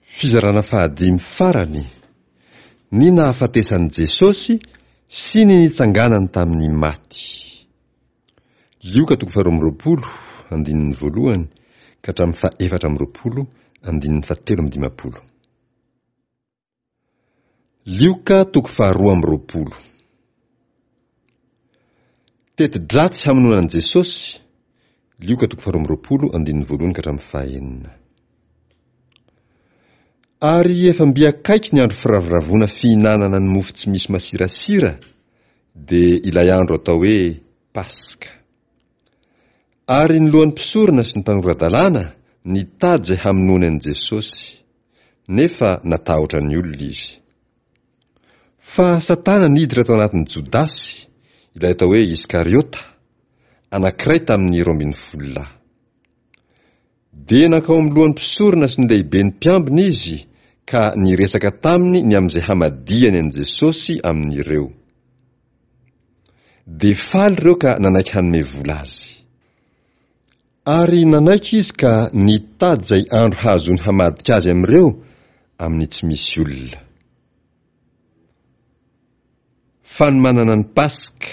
Fizarana fahadimy farany, Ny nahafatesan'i Jesosy sy ny nitsanganany tamin'ny maty. Lioka toko faharoa amby roapolo, andininy voalohany ka hatramin'ny fahefatra amby roapolo, andininy fahatelo amby dimampolo. Lioka toko faharoa amby roapolo. Teti-dratsy hamonoana an'i Jesosy, Lioka toko faharoa amby roapolo andininy voalohany ka hatramin'ny fahenina. Ary efa mby akaiky ny andro firavoravoana fihinanana ny mofo tsy misy masirasira, dia ilay andro atao hoe Paska. Ary ny lohan'ny mpisorona sy ny mpanora-dalàna nitady izay hamonoany an'i Jesosy, nefa natahotra ny olona izy. Fa Satana niditra tao anatin'i Jodasy, ilay atao hoe Iskariota, anankiray tamin'ny 12 lahy. Dia nankao amin'ny lohan'ny mpisorona sy ny lehiben'ny mpiambina izy ka niresaka taminy ny amin'izay hamadihany an'i Jesosy amin'ireo. Dia faly ireo ka nanaiky hanome vola azy. Ary nanaiky izy ka nitady izay andro hahazoany hamadika azy amin'ireo amin'ny tsy misy olona. Fanomanana ny Paska.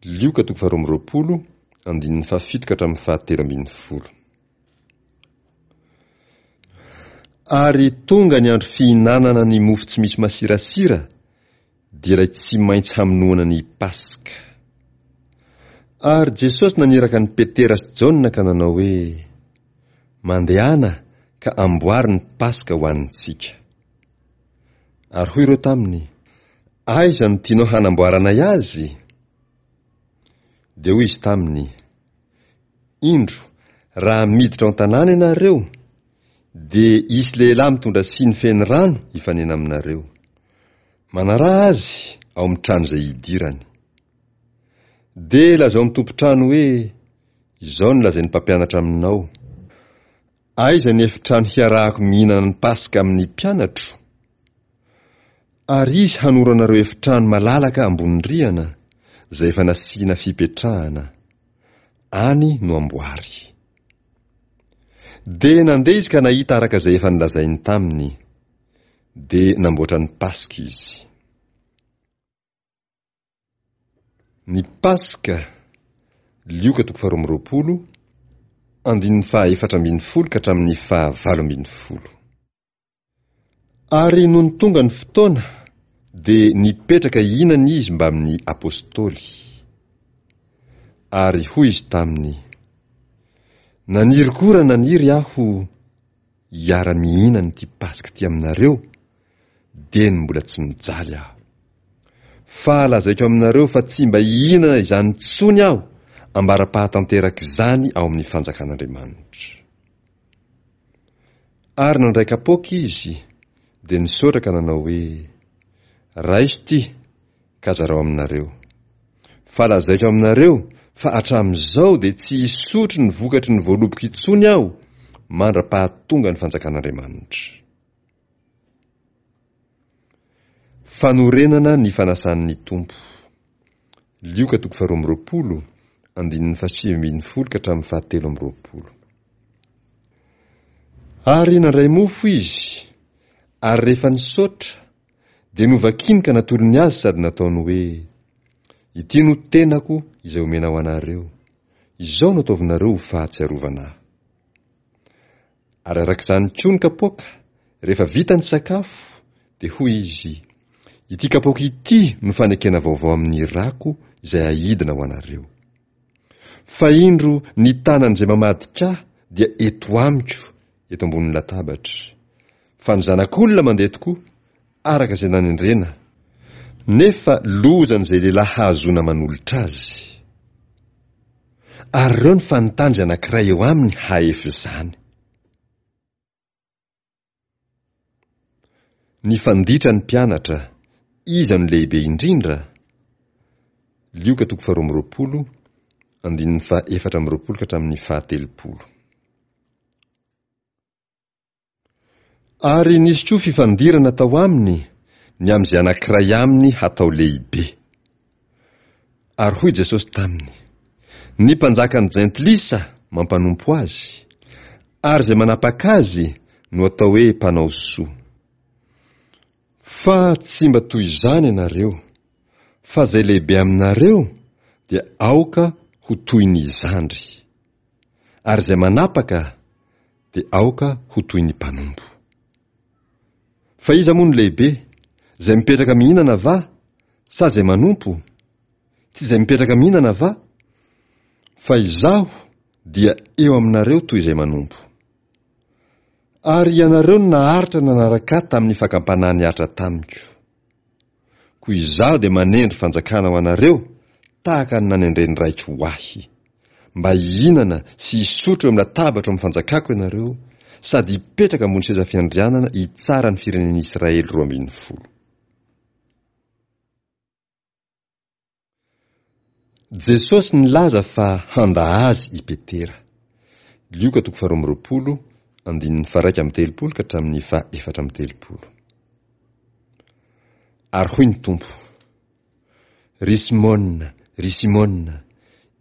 Lioka toko faharoa amby roapolo, andininy fahafito ka hatramin'ny fahatelo ambin'ny folo. Ary tonga ny andro fihinanana ny mofo tsy misy masirasira, dia ilay tsy maintsy hamonoana ny Paska. Ary Jesosy naniraka an'i Petera sy Jaona ka nanao hoe, Mandehana ka amboary ny Paska ho antsika. Ary hoy ireo taminy, Aiza no tianao hanamboaranay azy? Dia hoy izy taminy, Indro, raha miditra ao an-tanàna ianareo, dia hisy lehilahy mitondra siny feno rano hifanena aminareo. Manaraha azy ao amin'ny trano izay hidirany. Dia lazao amin'ny tompon-trano hoe, Izao no lazain'ny mpampianatra aminao, Aiza ny efitrano hiarahako mihinana ny Paska amin'ny mpianatro? Ary izy hanoro anareo efitrano malalaka ambony rihana, izay efa nasiana fipetrahana. Any no amboary. Dia nandeha izy ka nahita araka izay efa nolazainy taminy. Dia namboatra ny Paska izy. Ny Paska, Lioka toko faharoa amby roapolo, andininy fahaefatra ambin'ny folo ka hatramin'ny fahavalo ambin'ny folo. Ary nony tonga ny fotoana, dia nipetraka hihinana izy mbamin'ny apostoly. Ary hoy izy taminy, Naniry koa raha naniry aho hiara-mihinana ity Paska ity aminareo, dieny mbola tsy mijaly aho. Fa lazaiko aminareo fa tsy mba hihinana izany intsony aho ambara-pahatanterak'izany ao amin'ny fanjakan'Andriamanitra. Ary nandray kapoaka izy, dia nisaotra ka nanao hoe, Raiso ity, ka zarao aminareo. Fa lazaiko aminareo fa hatramin'izao dia tsy hisotro ny vokatry ny voaloboka intsony aho mandra-pahatonga ny fanjakan'Andriamanitra. Fanorenana ny fanasan'ny Tompo. Lioka toko faharoa amby roapolo, andininy fahasivy ambin'ny folo ka hatramin'ny fahatelo amby roapolo. Ary nandray mofo izy, ary rehefa nisaotra, dia novakiny ka natolony azy sady nataony hoe, Ity no tenako izay omena ho anareo. Izao no ataovinareo ho fahatsiarovana ahy. Ary araka izany koa ny kapoaka, rehefa vita ny sakafo, dia hoy izy, Ity kapoaka ity no fanekena vaovao amin'ny rako izay aidina ho anareo. Fa indro ny tanan'izay mamadika ahy dia eto amiko eto ambonin'ny latabatra. Fa ny Zanak'olona mandeha tokoa, araka izay nanendrena, nefa lozan'izay lehilahy hahazoana manolotra azy. Ary ireo ny fanontany izay anankiray eo aminy hahefa izany. Nifanditra ny mpianatra, iza no lehibe indrindra? Lioka toko faharoa amby roapolo, andininy fahaefatra amby roapolo ka hatramin'ny fahatelopolo. Ary nisy koa fifandirana tao aminy ny amin'izay anankiray aminy hatao lehibe. Ary hoy Jesosy taminy, Ny mpanjakan'ny jentilisa mampanompo azy, ary izay manapaka azy no atao hoe mpanao soa. Fa tsy mba toy izany ianareo, fa izay lehibe aminareo dia aoka ho toy ny zandry, ary izay manapaka dia aoka ho toy ny mpanompo. Fa iza moa no lehibe, izay mipetraka mihinana va, sa izay manompo? Tsy izay mipetraka mihinana va? Fa izaho dia eo aminareo toy izay manompo. Ary ianareo no naharitra nanaraka ahy tamin'ny fakam-panahy nihatra tamiko. Koa izaho dia manendry fanjakana ho anareo tahaka ny nanendren'ny Raiko ho ahy, mba hihinana sy hisotro eo amin'ny latabatro amin'ny fanjakako ianareo, sady hipetraka ambony seza fiandrianana hitsara ny firenen'Israely 12. Jesosy nilaza fa handa Azy i Petera. Lioka toko faharoa amby roapolo, andininy faha-31 ka hatramin'ny faha-34. Ary hoy ny Tompo, Ry Simona, ry Simona,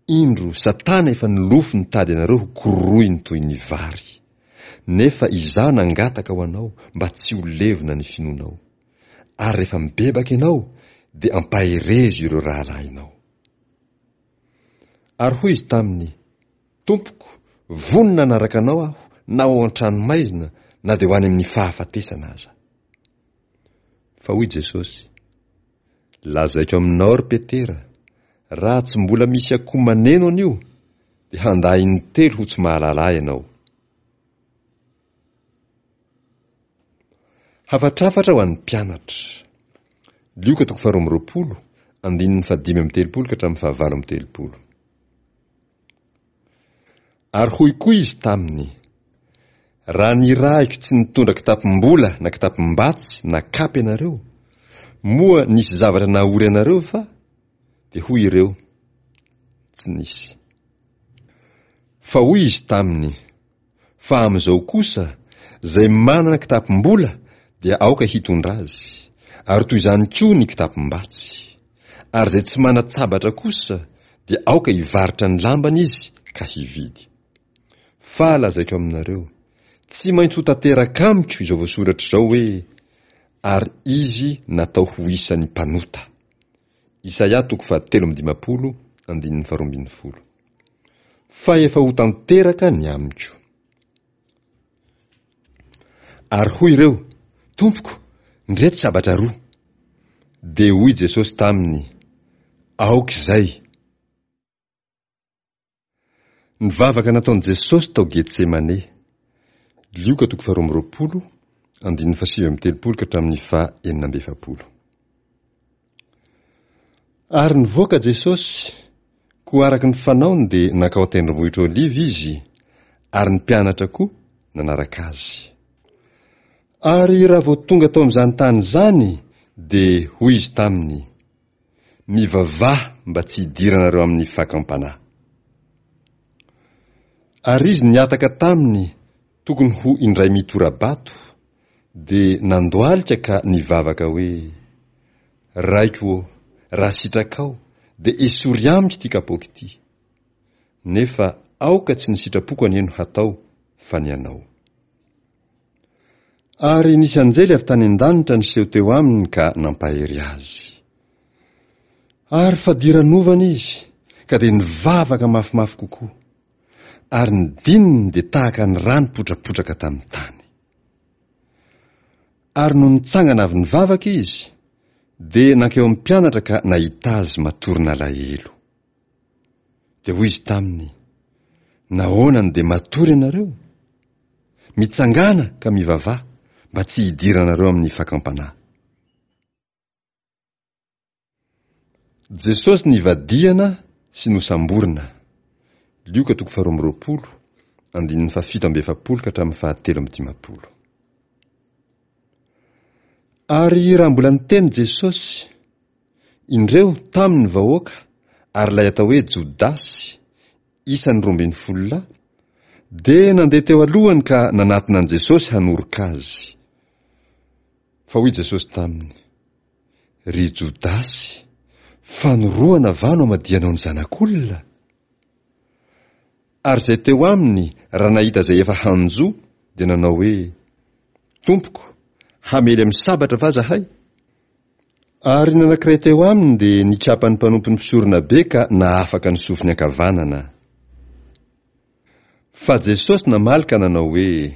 indro Satana efa nilofo nitady anareo ho kororohiny toy ny vary. Nefa Izaho nangataka ho anao mba tsy ho levona ny finoanao. Ary rehefa mibebaka ianao, dia ampaherezo ireo rahalahinao. Ary hoy izy taminy, Tompoko, vonona hanaraka anao aho na ho ao an-tranomaizina na dia ho any amin'ny fahafatesana aza. Fa hoy Jesosy, Lazaiko aminao, ry Petera, raha tsy mbola misy akoho maneno anio, dia handà intelo ho tsy mahalala ahy ianao. Hafatrafatra ho an'ny mpianatra. Lioka toko faharoa amby roapolo, andininy fahadimy amby telopolo ka hatramin'ny fahavalo amby telopolo. Ary hoy koa izy taminy, Raha nirahiko tsy nitondra kitapom-bola na kitapom-batsy na kapa ianareo, moa nisy zavatra nahory anareo va? Dia hoy ireo, Tsy nisy. Fa hoy izy taminy, Fa amin'izao kosa, izay manana kitapom-bola dia aoka hitondra azy, ary toy izany koa ny kitapom-batsy. Ary izay tsy manan-tsabatra kosa dia aoka hivarotra ny lambany izy ka hividy. Fa lazaiko aminareo, tsy maintsy ho tanteraka amiko izao voasoratra izao hoe, Ary izy natao ho isan'ny mpanota. Isaia toko fahatelo amby dimampolo andininy faharoa ambin'ny folo. Fa efa ho tanteraka ny amiko. Ary hoy ireo, Tompoko, ndreto sabatra roa. Dia hoy Jesosy taminy, Aoka izay. Ny vavaka nataon'i Jesosy tao Getsemane. Lioka toko faharoa amby roapolo, andininy fahasivy amby telopolo ka hatramin'ny faha enina amby efapolo. Ary nivoaka Jesosy, koa araka ny fanaony dia nankao an-tendrombohitra Oliva Izy, ary ny mpianatra koa nanaraka Azy. Ary raha vao tonga tao amin'izany tany izany, dia hoy Izy taminy, Mivavaha mba tsy hidiranareo amin'ny fakam-panahy. Ary izy nihataka taminy tokony ho indray mitora-bato, dia nandohalika ka nivavaka hoe, Raiko ô, raha sitrakao, dia esory amiko ity kapoaka ity. Nefa aoka tsy ny sitrapoko anie no hatao, fa ny anao. Ary nisy anjely avy tany an-danitra niseho teo aminy ka nampahery azy. Ary fadiranovana izy, ka dia nivavaka mafimafy kokoa. Ary ny dininy dia tahaka ny rà nipotrapotraka tamin'ny tany. Ary nony nitsangana avy nivavaka izy, dia nankeo amin'ny mpianatra ka nahita azy matory nalahelo. Dia hoy izy taminy, Nahoana no dia matory ianareo? Mitsangàna ka mivavaha mba tsy hidiranareo amin'ny fakam-panahy. Jesosy nivadihana sy nosamborina. Lioka toko faharoa amby roapolo, andininy fahafito amby efapolo ka hatramin'ny fahatelo amby dimampolo. Ary raha mbola niteny Jesosy, indreo tamy ny vahoaka ary ilay atao hoe Jodasy, isan'ny 12 lahy, dia nandeha teo alohany ka nanatona an'i Jesosy hanoroka azy. Fa hoy Jesosy taminy, Ry Jodasy, fanorohana va no amadihanao ny Zanak'olona? Ary izay teo aminy raha nahita izay efa hanjo dia nanao hoe, Tompoko, hamely amin'ny sabatra va zahay? Ary ny anankiray teo aminy dia nikapa ny mpanompon'ny mpisoronabe ka nahafaka ny sofiny ankavanana. Fa Jesosy namaly ka nanao hoe,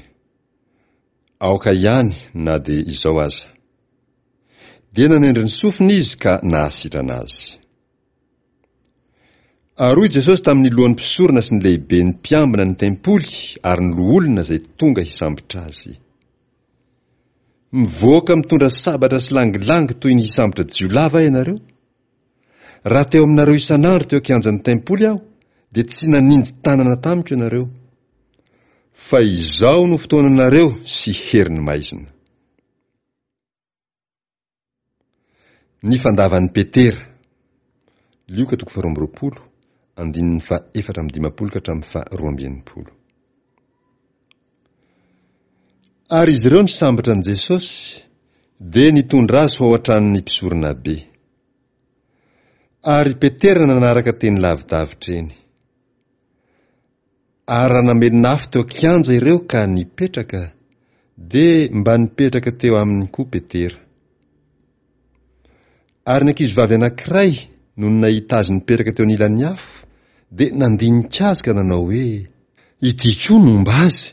Aoka ihany na dia izao aza. Dia nanendry ny sofiny izy ka nahasitrana azy. Ary hoy Jesosy tamin'ny lohan'ny mpisorona sy ny lehiben'ny mpiambina ny tempoly ary ny loholona izay tonga hisambotra azy. Mivoaka mitondra sabatra sy langilangy toy ny hisambotra jiolahy va ianareo? Raha teo aminareo isan'andro teo an-kianjan'ny tempoly aho, dia tsy naninji tanana tamiko ianareo. Fa izao no fotoananareo sy herin'ny maizina. Ny fandavan'i Petera. Lioka toko faharoa amby roapolo, andininy faha 54 ka hatramin'ny faha 62. Ary izy ireo nisambotra an'i Jesosy, dia nitondra azy ho ao an-tranon'ny mpisoronabe. Ary Petera nanaraka teny lavidavitra eny. Ary raha namelona afo teo an-kianja ireo ka nipetraka, dia mba nipetraka teo aminy koa Petera. Ary ny ankizivavy anankiray, nony nahita azy nipetraka teo anilan'ny afo, dia nandinika azy ka nanao hoe, Ity koa no homba azy.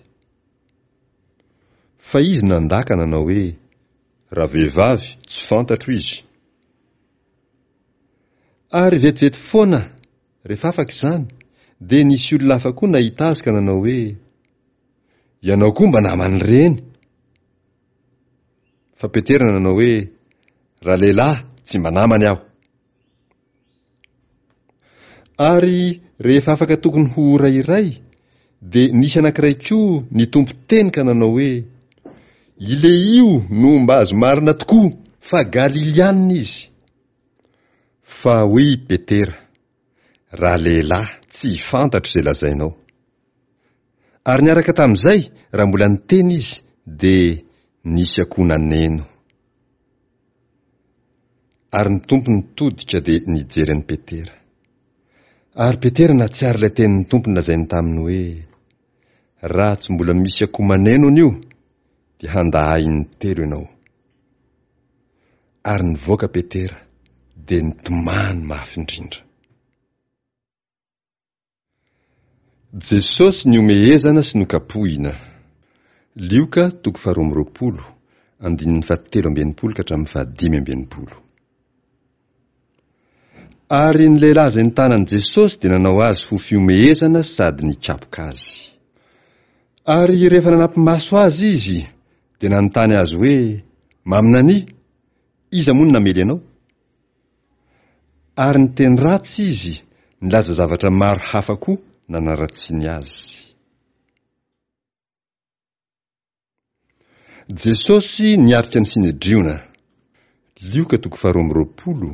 Fa izy nandà ka nanao hoe, Ravehivavy, tsy fantatro izy. Ary vetivety foana Rehefa afaka izany, dia nisy olona hafa koa nahita azy ka nanao hoe, Ianao koa mba naman'ireny. Fa Petera nanao hoe, Ralehilahy, tsy mba namany aho. Ary rehefa afaka tokony ho ora iray, dia nisy anankiray koa nitompo teny ka nanao hoe, Ilehio no homba azy marina tokoa, fa Galiliana izy. Fa hoy i Petera, Ralehilahy, tsy fantatro izay lazainao. Ary niaraka tamin'izay, raha mbola niteny izy, dia nisy akoho naneno. Ary ny Tompo nitodika dia nijery an'i Petera. Ary Petera nahatsiaro ilay tenin'ny Tompo nolazainy taminy hoe, Raha tsy mbola misy akoho maneno anio, dia handà ahy intelo ianao. Ary nivoaka Petera, dia nitomany mafy indrindra. Jesosy nihomehezana sy nokapohina. Lioka toko faharoa amby roapolo, andininy fahatelo amby enimpolo ka hatramin'ny fahadimy amby enimpolo. Ary ny lehilahy izay nitana an'i Jesosy dia nanao azy ho fihomehezana sady nikapoka azy. Ary rehefa nanampi-maso azy izy, dia nanontany azy hoe, Maminania, iza moa no namely anao? Ary niteny ratsy izy, nilaza zavatra maro hafa koa nanaratsiany azy. Jesosy niatrika ny Synedriona. Lioka toko faharoa amby roapolo,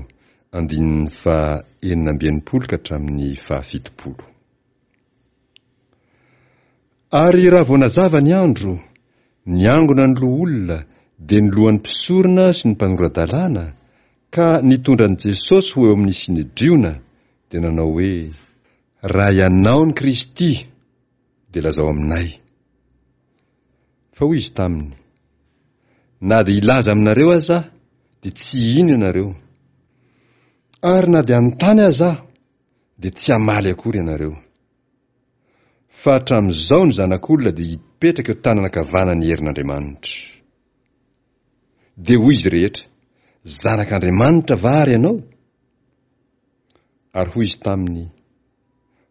andininy faha 66 ka hatramin'ny faha 70. Ary raha vao nazava ny andro, niangona ny loholona, dia ny lohan'ny mpisorona sy ny mpanora-dalàna, ka nitondra an'i Jesosy ho eo amin'ny Synedriona, dia nanao hoe, Raha ianao ny Kristy, dia lazao aminay. Fa hoy izy taminy, Na dia hilaza aminareo aza aho, dia tsy hino ianareo. Ary na dia hanontany aza aho, dia tsy hamaly akory ianareo. Fa hatramin'izao ny Zanak'olona dia hipetraka eo tanana ankavanan'ny herin'Andriamanitra. Dia hoy izy rehetra, Zanak'Andriamanitra va ary ianao? Ary hoy izy taminy,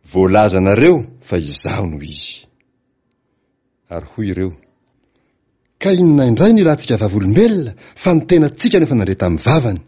Voalazanareo fa izaho no izy. Ary hoy ireo, Ka inona indray no ilantsika vavolombelona fa ny tenantsika no efa nandre tamin'ny vavany?